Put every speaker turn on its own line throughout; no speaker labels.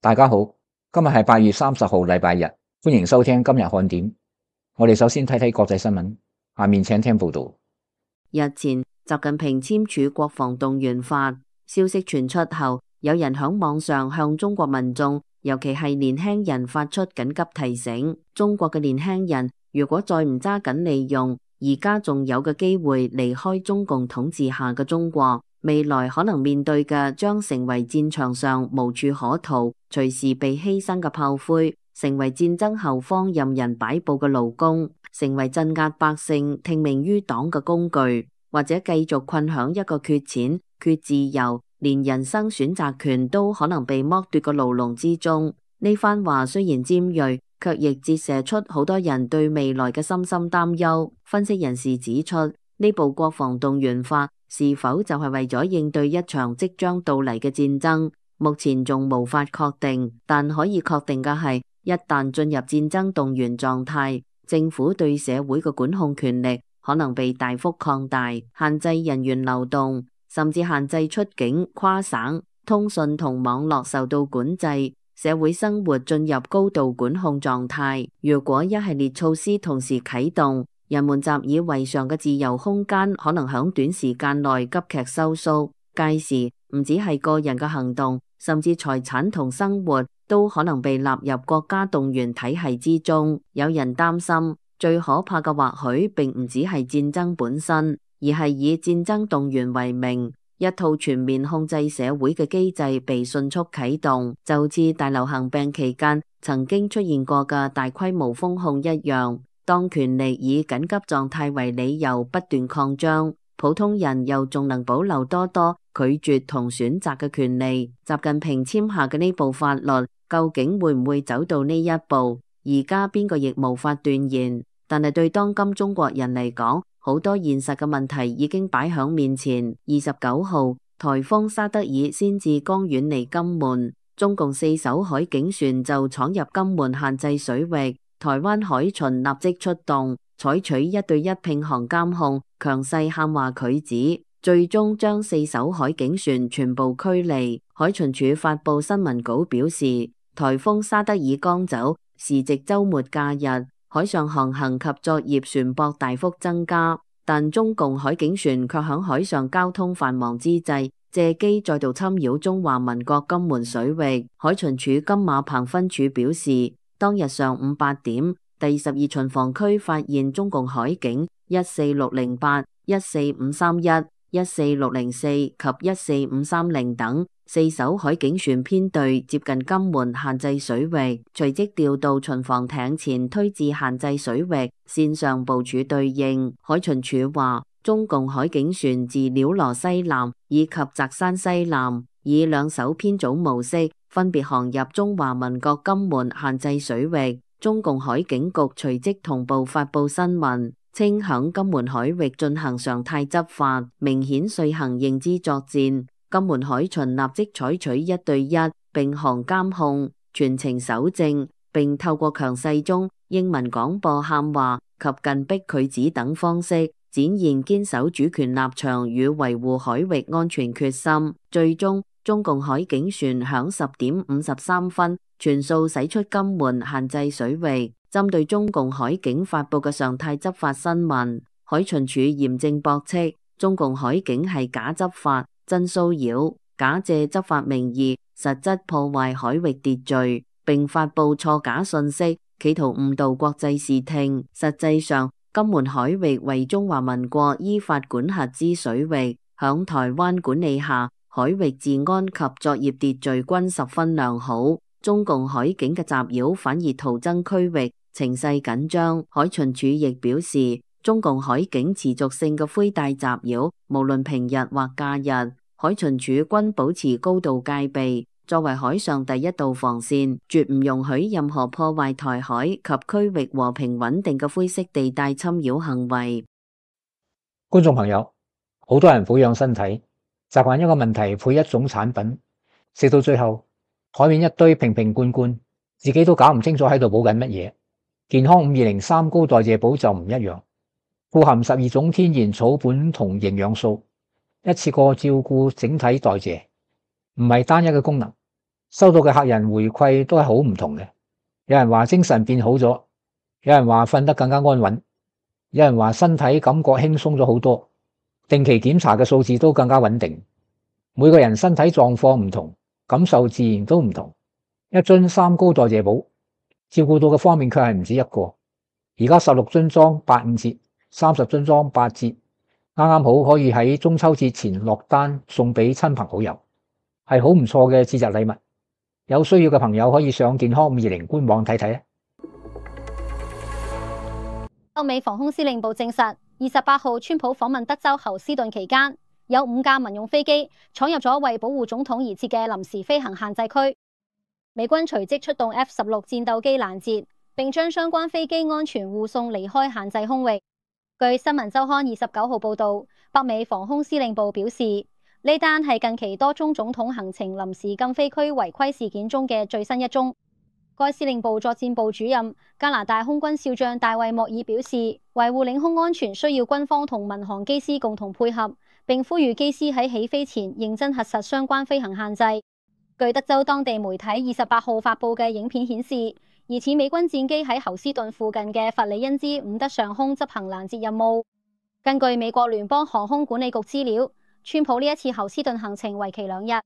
大家好，今日係8月30號，禮拜日，歡迎收聽今日看點。我哋首先睇睇國際新聞，下面請聽報道。
日前，習近平簽署國防動員法，消息傳出後，有人響網上向中國民眾，尤其係年輕人發出緊急提醒：中國嘅年輕人如果再唔揸緊利用而家仲有嘅機會離開中共統治下嘅中國，未來可能面對嘅將成為戰場上無處可逃、隨時被犧牲嘅炮灰，成為戰爭後方任人擺布嘅勞工，成為鎮壓百姓、聽命於黨嘅工具，或者繼續困響一個缺錢、缺自由，連人生選擇權都可能被剝奪嘅牢籠之中。呢番話雖然尖銳，卻亦折射出好多人對未來嘅深深擔憂。分析人士指出，呢部國防動員法是否就係為咗應對一場即將到嚟嘅戰爭，目前仲無法確定。但可以確定嘅係，一旦進入戰爭動員狀態，政府對社會嘅管控權力可能被大幅擴大，限制人員流動，甚至限制出境、跨省、通訊同網絡受到管制，社會生活進入高度管控狀態。如果一系列措施同時啟動，人們習以為常嘅自由空間可能響短時間內急劇收縮，屆時唔止係個人嘅行動，甚至財產同生活都可能被納入國家動員體系之中。有人擔心，最可怕嘅或許並唔止係戰爭本身，而係以戰爭動員為名，一套全面控制社會嘅機制被迅速啟動，就似大流行病期間曾經出現過嘅大規模封控一樣。當權力以緊急狀態為理由不斷擴張，普通人又仲能保留多拒絕同選擇嘅權利。習近平簽下嘅呢部法律，究竟會唔會走到呢一步？而家邊個亦無法斷言。但係對當今中國人嚟講，好多現實嘅問題已經擺響面前。29號，颱風沙德爾先至剛遠離金門，中共4艘海警船就闖入金門限制水域。台灣海巡立即出動，採取1對1併航監控，強勢喊話拒止，最終將4艘海警船全部驅離。海巡署發布新聞稿表示，颱風沙德爾剛走，時值週末假日，海上航行及作業船舶大幅增加，但中共海警船卻響海上交通繁忙之際，借機再度侵擾中華民國金門水域。海巡署金馬棚分署表示，當日上午8點，第12巡防區發現中共海警14608、14531、14604及14530等4艘海警船編隊接近金門限制水域，隨即調度巡防艇前推至限制水域線上部署對應。海巡署話，中共海警船自鳥羅西南以及澤山西南，以2艘編組模式分別航入中華民國金門限制水域。中共海警局隨即同步發布新聞，稱響金門海域進行常態執法，明顯遂行認知作戰。金門海巡立即採取1對1併航監控，全程搜證，並透過強勢中英文廣播喊話及近逼拒止等方式，展現堅守主權立場與維護海域安全決心。最終，中共海警船響10點53分全數駛出金門限制水域。針對中共海警發布嘅常態執法新聞，海巡署嚴正駁斥，中共海警係假執法、真騷擾，假借執法名義，實質破壞海域秩序，並發布錯假信息，企圖誤導國際視聽。實際上，金門海域為中華民國依法管轄之水域，響台灣管理下，海域治安及作業秩序均十分良好。中共海警嘅襲擾反而徒增區域情勢緊張。海巡署亦表示，中共海警持續性嘅灰帶襲擾，無論平日或假日，海巡署均保持高度戒備，作為海上第一道防線，絕唔容許任何破壞台海及區域和平穩定嘅灰色地帶侵擾行為。
觀眾朋友，好多人保養身體，習慣一個問題配一種產品，食到最後台面一堆瓶瓶罐罐，自己都搞唔清楚喺度補緊乜嘢。健康5203高代謝寶就唔一樣，富含12種天然草本同營養素，一次過照顧整體代謝，唔係單一嘅功能，收到嘅客人回饋都係好唔同嘅。有人話精神變好咗，有人話瞓得更加安穩，有人話身體感覺輕鬆咗好多，定期檢查嘅數字都更加穩定。每個人身體狀況唔同，感受自然都唔同。一樽三高代謝寶，照顧到嘅方面卻係唔止一個。而家16樽裝85折，30樽裝8折，啱啱好可以喺中秋節前落單送俾親朋好友，係好唔錯嘅節日禮物。有需要嘅朋友可以上健康520官網睇睇。
歐美防空司令部證實，28號川普訪問德州侯斯頓期間，有5架民用飛機闖入咗為保護總統而設嘅臨時飛行限制區。美軍隨即出動 F-16戰鬥機攔截，並將相關飛機安全護送離開限制空域。據新聞週刊29號報道，北美防空司令部表示，呢單係近期多宗總統行程臨時禁飛區違規事件中嘅最新一宗。該司令部作戰部主任加拿大空軍少將大衛莫爾表示，維護領空安全需要軍方同民航機師共同配合，並呼籲機師喺起飛前認真核實相關飛行限制。據德州當地媒體28號發佈嘅影片顯示，疑似美軍戰機喺侯斯頓附近嘅弗里恩茲伍德上空執行攔截任務。根據美國聯邦航空管理局資料，川普呢一次侯斯頓行程為期2日。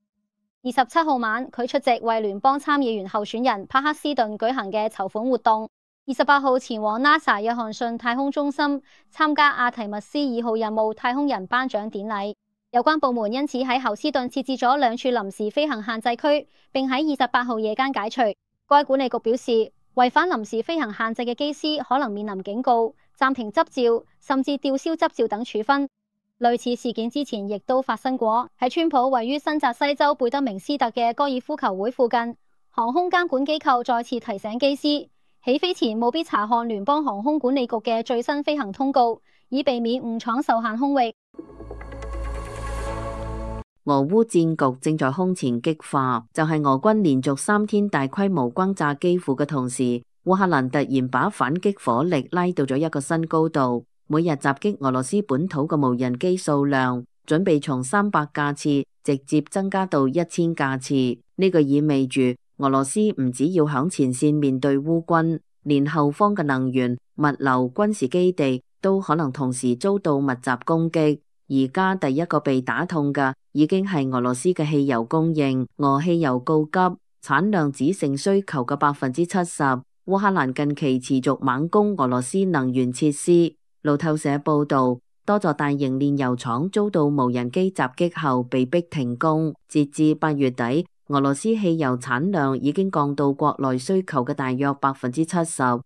27號晚，佢出席為聯邦參議員候選人帕克斯頓舉行嘅籌款活動。28號前往 NASA 約翰遜太空中心參加阿提密斯2號任務太空人頒獎典禮。有關部門因此喺侯斯頓設置咗2處臨時飛行限制區，並喺28號夜間解除。該管理局表示，違反臨時飛行限制嘅機師可能面臨警告、暫停執照，甚至吊銷執照等處分。類似事件之前亦都發生過，喺川普位於新澤西州貝德明斯特嘅高爾夫球會附近，航空監管機構再次提醒機師，起飛前務必查看聯邦航空管理局嘅最新飛行通告，以避免誤闖受限空域。
俄烏戰局正在空前激化，就係俄軍連續3天大規模轟炸基輔嘅同時，烏克蘭突然把反擊火力拉到咗一個新高度。每日襲擊俄羅斯本土嘅無人機數量準備從300架次直接增加到1000架次。呢個意味住俄羅斯唔只要響前線面對烏軍，連後方嘅能源、物流、軍事基地都可能同時遭到密集攻擊。而家第一個被打痛嘅已經係俄羅斯嘅汽油供應，俄汽油告急，產量只剩需求嘅70%。烏克蘭近期持續猛攻俄羅斯能源設施。路透社報道，多座大型煉油廠遭到無人機襲擊後被迫停工。截至8月底，俄羅斯汽油產量已經降到國內需求嘅大約70%。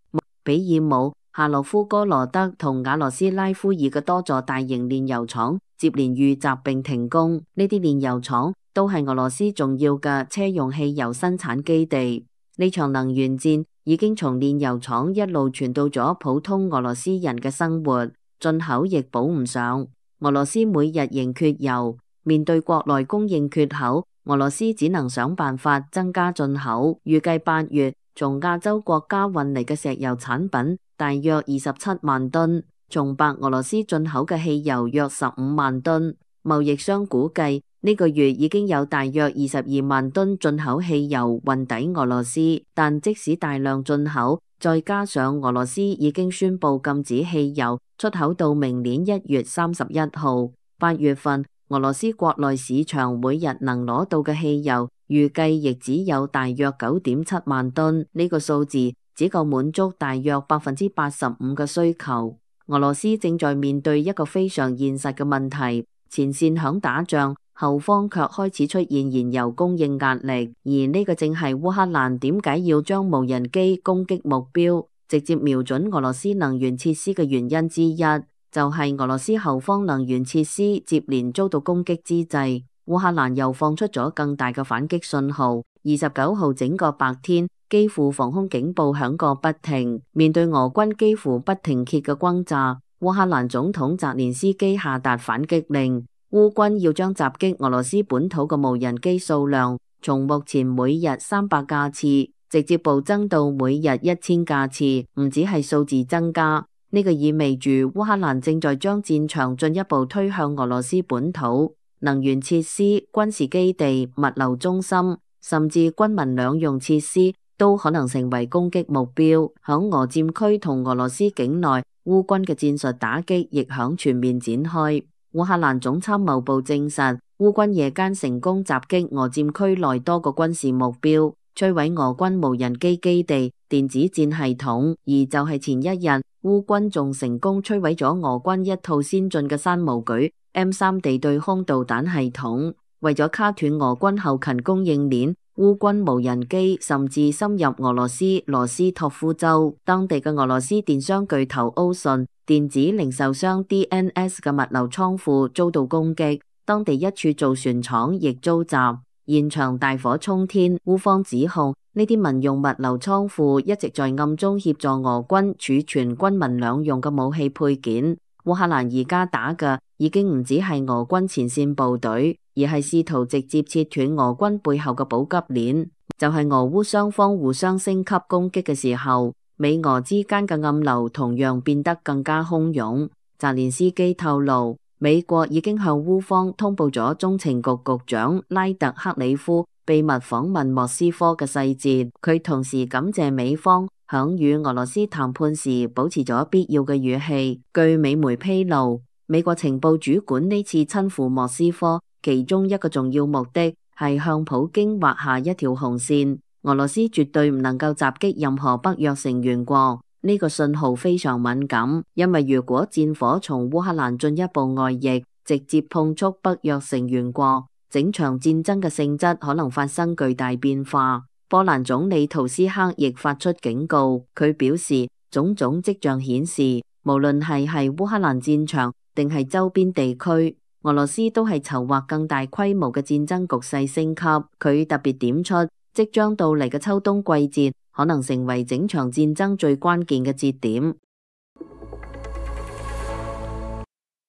比爾姆、夏洛夫哥羅德同瓦羅斯拉夫爾嘅多座大型煉油廠接連遇襲並停工。呢啲煉油廠都係俄羅斯重要嘅車用汽油生產基地。呢場能源戰已經從煉油廠一路傳到咗普通俄羅斯人嘅生活，進口亦補唔上。俄羅斯每日仍缺油，面對國內供應缺口，俄羅斯只能想辦法增加進口。預計8月從亞洲國家運嚟嘅石油產品大約27萬噸，從白俄羅斯進口嘅汽油約15萬噸。貿易商估計呢個月已經有大約22萬噸進口汽油運抵俄羅斯，但即使大量進口，再加上俄羅斯已經宣布禁止汽油出口到明年1月31號。8月份俄羅斯國內市場每日能攞到嘅汽油預計亦只有大約9.7萬噸，呢個數字只夠滿足大約85%嘅需求。俄羅斯正在面對一個非常現實嘅問題，前線響打仗，後方卻開始出現燃油供應壓力，而呢個正係烏克蘭點解要將無人機攻擊目標直接瞄準俄羅斯能源設施嘅原因之一，就係俄羅斯後方能源設施接連遭到攻擊之際，烏克蘭又放出咗更大嘅反擊信號。29號整個白天，基輔防空警報響個不停，面對俄軍幾乎不停歇嘅轟炸，烏克蘭總統澤連斯基下達反擊令，烏軍要將襲擊俄羅斯本土嘅無人機數量從目前每日300架次直接暴增到每日1000架次，唔止係數字增加，呢個意味住烏克蘭正在將戰場進一步推向俄羅斯本土，能源設施、軍事基地、物流中心甚至軍民兩用設施都可能成為攻擊目標。響俄佔區同俄羅斯境內，烏軍嘅戰術打擊亦響全面展開。烏克蘭總參謀部證實，烏軍夜間成功襲擊俄佔區內多個軍事目標，摧毀俄軍無人機基地、電子戰系統。而就係前一日，烏軍仲成功摧毀咗俄軍一套先進嘅山毛舉 M3 地對空導彈系統。為咗卡斷俄軍後勤供應鏈，烏軍無人機甚至深入俄羅斯羅斯托夫州，當地嘅俄羅斯電商巨頭歐信、電子零售商 DNS 嘅物流倉庫遭到攻擊，當地一處造船廠亦遭襲，現場大火沖天。烏方指控呢啲民用物流倉庫一直在暗中協助俄軍儲存軍民兩用嘅武器配件。烏克蘭而家打嘅已經唔止係俄軍前線部隊，而係試圖直接切斷俄軍背後嘅補給鏈。就係俄烏雙方互相升級攻擊嘅時候，美俄之間嘅暗流同樣變得更加洶湧。澤連斯基透露，美國已經向烏方通報咗中情局局長拉特克里夫秘密訪問莫斯科嘅細節。佢同時感謝美方響與俄羅斯談判時保持咗必要嘅語氣。據美媒披露，美國情報主管呢次親赴莫斯科，其中一個重要目的係向普京畫下一條紅線，俄羅斯絕對唔能夠襲擊任何北約成員國。呢個信號非常敏感，因為如果戰火從烏克蘭進一步外溢，直接碰觸北約成員國，整場戰爭嘅性質可能發生巨大變化。波蘭總理圖斯克亦發出警告，佢表示種種跡象顯示，無論係烏克蘭戰場定係周邊地區，俄羅斯都係籌劃更大規模嘅戰爭局勢升級。佢特別點出，即將到嚟嘅秋冬季節可能成為整場戰爭最關鍵嘅節點。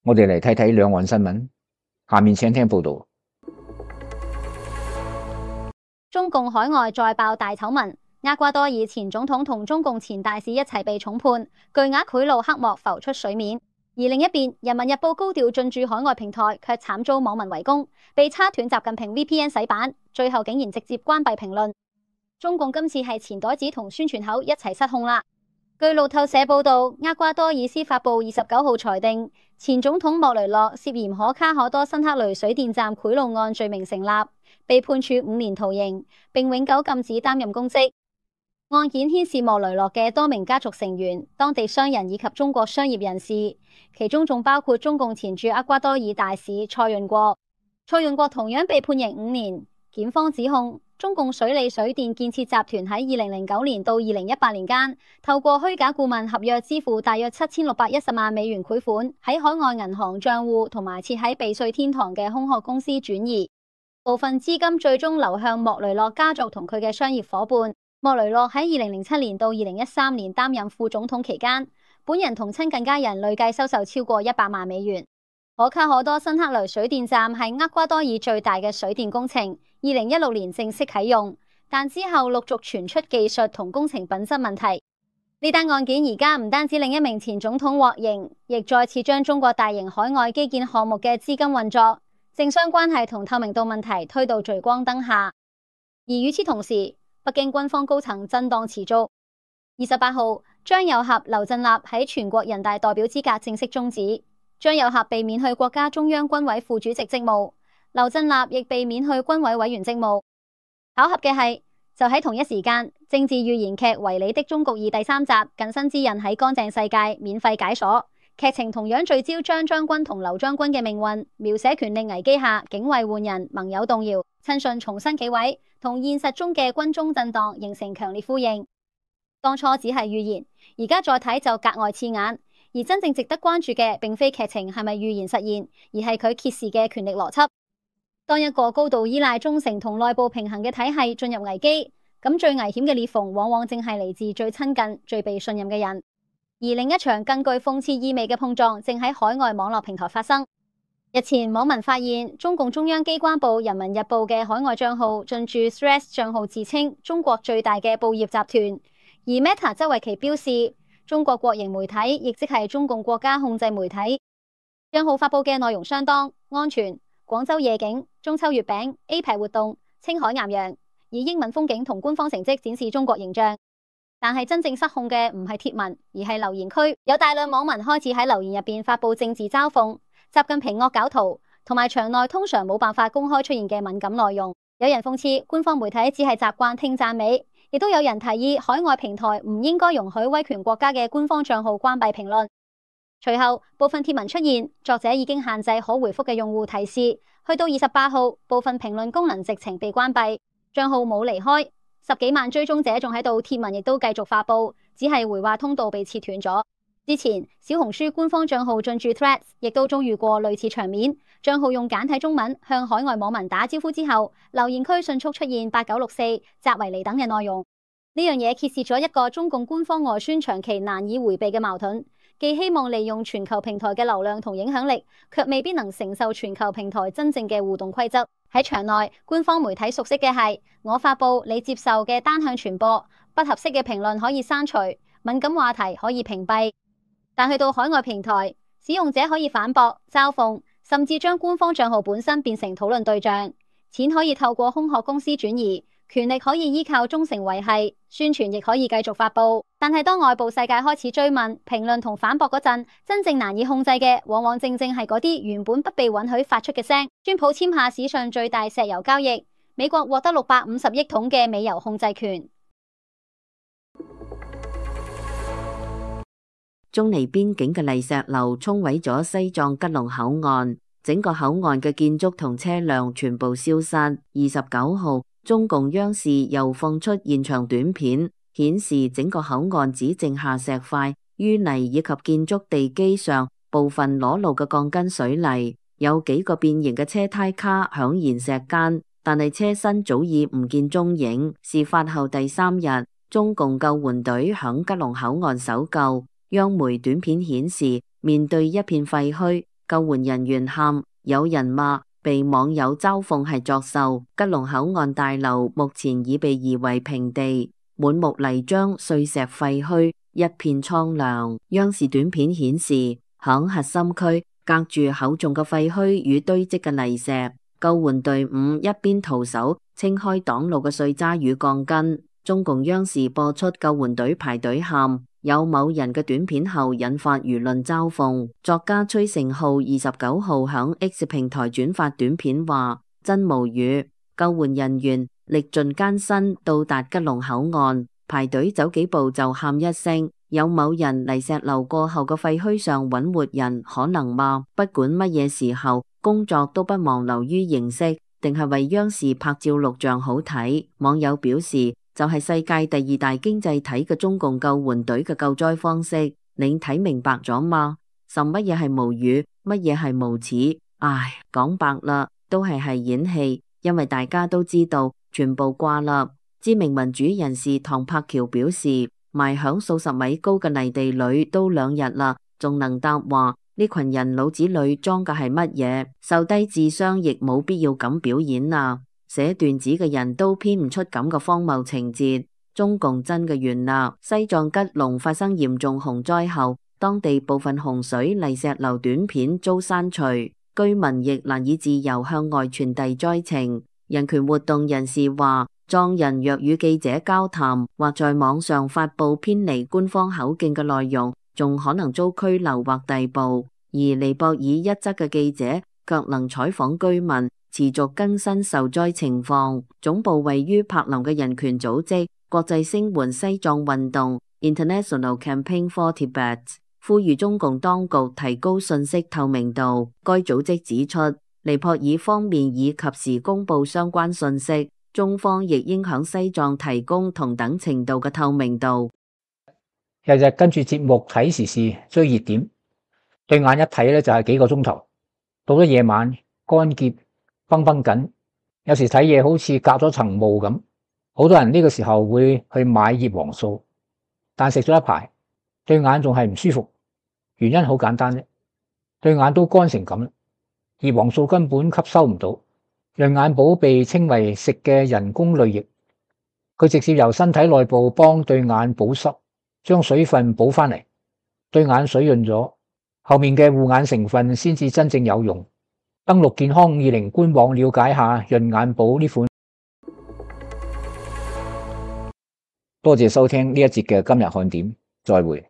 我哋嚟睇睇兩岸新聞，下面請聽報道。
中共海外再爆大醜聞，厄瓜多爾前總統同中共前大使一齊被重判，巨額賄賂黑幕浮出水面。而另一邊，人民日報高調進駐海外平台，卻慘遭網民圍攻，被叉斷習近平 VPN 洗版，最後竟然直接關閉評論。中共今次係錢袋子同宣傳口一齊失控啦。據路透社報道，厄瓜多爾司法部29號裁定，前總統莫雷諾涉嫌可卡可多辛克雷水電站賄賂案罪名成立，被判處5年徒刑，並永久禁止擔任公職。案件牽涉莫雷諾嘅多名家族成員、當地商人以及中國商業人士，其中仲包括中共前駐厄瓜多爾大使蔡潤國。蔡潤國同樣被判刑5年。檢方指控中共水利水電建設集團喺2009年到2018年間，透過虛假顧問合約支付大約7610萬美元賄款，喺海外銀行賬戶同埋設喺避稅天堂嘅空殼公司轉移，部分資金最終流向莫雷諾家族同佢嘅商業夥伴。莫雷諾喺2007年到2013年擔任副總統期間，本人同親近家人累計收受超過100萬美元。可卡可多辛克雷水電站係厄瓜多爾最大嘅水電工程，2016年正式啟用，但之後陸續傳出技術同工程品質問題。呢單案件而家唔單止另一名前總統獲刑，亦再次將中國大型海外基建項目嘅資金運作、政商關係同透明度問題推到聚光燈下。而與此同時，北京軍方高層震盪持續。28號，張又俠、劉振立喺全國人大代表資格正式終止。張又俠被免去國家中央軍委副主席職務，劉振立亦被免去軍委委員職務。巧合嘅係，就喺同一時間，政治寓言劇《為你的中國二》第3集近身之刃喺乾淨世界免費解鎖，劇情同樣聚焦張將軍同劉將軍嘅命運，描寫權力危機下警衛換人、盟友動搖、親信重新企位，同現實中嘅軍中震盪形成強烈呼應。當初只係寓言，而家再睇就格外刺眼。而真正值得關注嘅，並非劇情係咪預言實現，而係佢揭示嘅權力邏輯。當一個高度依賴忠誠同內部平衡嘅體系進入危機，咁最危險嘅裂縫往往正係嚟自最親近、最被信任嘅人。而另一場更具諷刺意味嘅碰撞，正喺海外網絡平台發生。日前，網民發現中共中央機關報《人民日報》嘅海外賬號進駐 Threads 賬號自稱中國最大嘅報業集團，而 Meta 則為其標示中國國營媒體，亦即係中共國家控制媒體。賬號發佈嘅內容相當安全，廣州夜景、中秋月餅、APEC 活動、青海岩羊，以英文風景同官方成績展示中國形象。但係真正失控嘅唔係貼文，而係留言區，有大量網民開始喺留言入邊發佈政治嘲諷、習近平惡搞圖，同埋場內通常冇辦法公開出現嘅敏感內容。有人諷刺官方媒體只係習慣聽讚美，亦都有人提議海外平台唔應該容許威權國家嘅官方賬號關閉評論。隨後部分貼文出現，作者已經限制可回覆嘅用戶提示，去到28號，部分評論功能直情被關閉，賬號冇離開。10幾萬追蹤者仲喺度，貼文亦都繼續發佈，只係回話通道被切斷咗。之前小紅書官方賬號進駐 Threads 亦都遭遇過類似場面，賬號用簡體中文向海外網民打招呼之後，留言區迅速出現8964、扎維尼等嘅內容。呢樣嘢揭示咗一個中共官方外宣長期難以回避嘅矛盾，既希望利用全球平台嘅流量同影響力，卻未必能承受全球平台真正嘅互動規則。喺場內，官方媒體熟悉嘅係我發佈你接受嘅單向傳播，不合適嘅評論可以刪除，敏感話題可以屏蔽。但去到海外平台，使用者可以反駁、嘲諷，甚至將官方賬號本身變成討論對象。錢可以透過空殼公司轉移，權力可以依靠忠誠維繫，宣傳亦可以繼續發佈。但係當外部世界開始追問、評論同反駁嗰陣，真正難以控制嘅，往往正係嗰啲原本不被允許發出嘅聲。川普簽下史上最大石油交易，美國獲得650億桶嘅美油控制權。
中尼邊境嘅泥石流沖毀咗西藏吉隆口岸，整個口岸嘅建築同車輛全部消失。29號，中共央視又放出現場短片，顯示整個口岸只剩下石塊、淤泥以及建築地基上部分裸露嘅鋼筋水泥，有幾個變形嘅車胎卡響岩石間，但係車身早已唔見蹤影。事發後第3日，中共救援隊響吉隆口岸搜救。央媒短片顯示，面對一片廢墟，救援人員喊，有人罵，被網友嘲諷係作秀。吉隆口岸大樓目前已被夷為平地，滿目泥漿、碎石廢墟，一片蒼涼。央視短片顯示，響核心區隔住厚重嘅廢墟與堆積嘅泥石，救援隊伍一邊徒手清開擋路嘅碎渣與鋼筋。中共央視播出救援隊排隊喊，有某人嘅短片後引發輿論嘲諷。作家崔成浩29號響 X 平台轉發短片話，真無語，救援人員歷盡艱辛到達吉隆口岸，排隊走幾步就喊一聲。有某人泥石流過後嘅廢墟上揾活人，可能嗎？不管乜嘢時候，工作都不忘流於形式，定係為央視拍照錄像好睇。網友表示，就係世界第2大經濟體嘅中共救援隊嘅救災方式，你睇明白咗嗎？甚乜嘢係無語，乜嘢係無恥？唉，講白啦，都係演戲，因為大家都知道，全部掛啦。知名民主人士唐柏橋表示，埋響數十米高嘅泥地裏都2日啦，仲能答話，呢群人腦子裏裝嘅係乜嘢？受低智商亦冇必要咁表演啊！寫段子嘅人都編唔出咁嘅荒謬情節，中共真嘅完啦！西藏吉隆發生嚴重洪災後，當地部分洪水泥石流短片遭刪除，居民亦難以自由向外傳遞災情。人權活動人士話，藏人若與記者交談或在網上發佈偏離官方口徑嘅內容，仲可能遭拘留或逮捕。而尼泊爾一則嘅記者卻能採訪居民，持續更新受災情況。總部位於柏林嘅人權組織國際聲援西藏運動 International Campaign for Tibet 呼籲中共當局提高信息透明度。該組織指出，尼泊爾方面已及時公布相關信息，中方亦應響西藏提供同等程度嘅透明度。
日日跟住節目睇時事追熱點，對眼一睇咧就係幾個鐘頭，到咗夜晚乾澀繃繃緊，有時睇嘢好似隔咗層霧咁。好多人呢個時候會去買葉黃素，但食咗一排，對眼仲係唔舒服。原因好簡單啫，對眼都乾成咁啦，葉黃素根本吸收唔到。潤眼寶被稱為食嘅人工淚液，佢直接由身體內部幫對眼保濕，將水分補翻嚟，對眼水潤咗，後面嘅護眼成分先至真正有用。登錄健康520官網了解下潤眼寶呢款。多謝收聽呢一節嘅今日看點，再會。